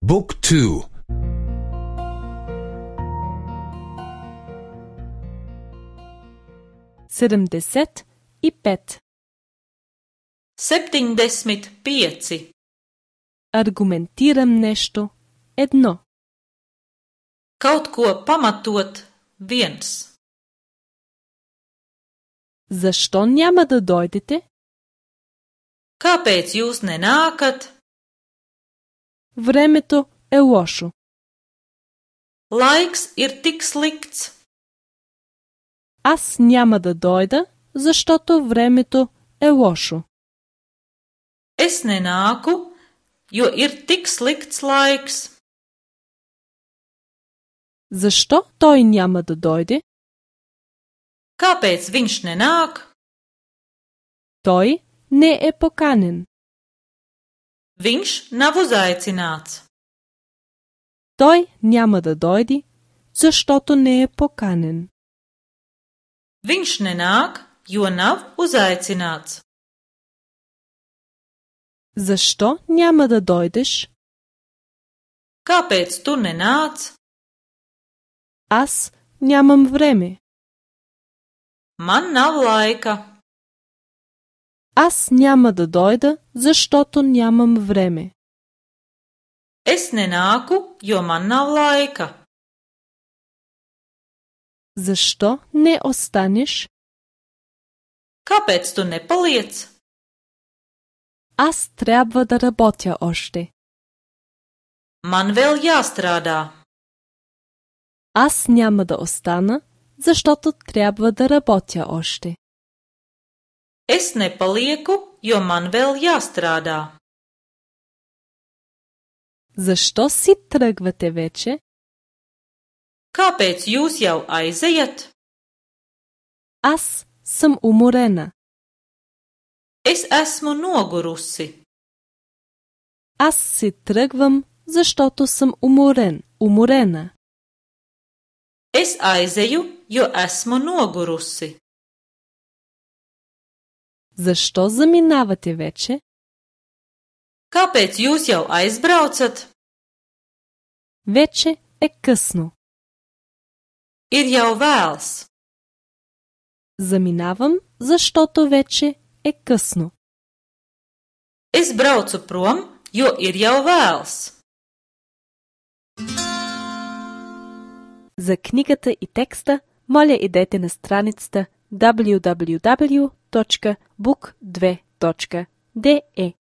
Book 2. 75. 75. Аргументирам нещо. 1. Kaut ko pamatot. 1. Защо няма да дойдете? Kāpēc jūs nenākat? Времето е лошо. Laiks ir tik slikts. Аз няма да дойда, защото времето е лошо. Es nenāku, jo ir tik slikts laiks. Защо той няма да дойде? Kāpēc viņš nenāk? Той не е поканен. Viņš nav uzaicināts. Той няма да дойде, защото не е поканен. Viņš nenāk, jo nav uzaicināts. Защо няма да дойдеш? Kāpēc tu nenāc? Аз нямам време. Man nav laika. Аз няма да дойда, защото нямам време. Es nenāku, jo man nav laika. Защо не останеш? Kāpēc tu nepaliec? Аз трябва да работя още. Man vēl jāstrādā. Аз няма да остана, защото трябва да работя още. Es nepalieku, jo man vēl jāstrādā. Защо си тръгвате вече? Kāpēc jūs jau aizejat? Аз съм уморена. Es esmu nogurusi. Аз си тръгвам, защото съм уморен, уморена. Es aizeju, jo esmu nogurusi. Защо заминавате вече? Kāpēc jūs jau aizbraucat? Вече е късно. Ir jau vēls. Заминавам, защото вече е късно. Es braucu prom, jo ir jau vēls. За книгата и текста, моля идете на страницата www.book2.de.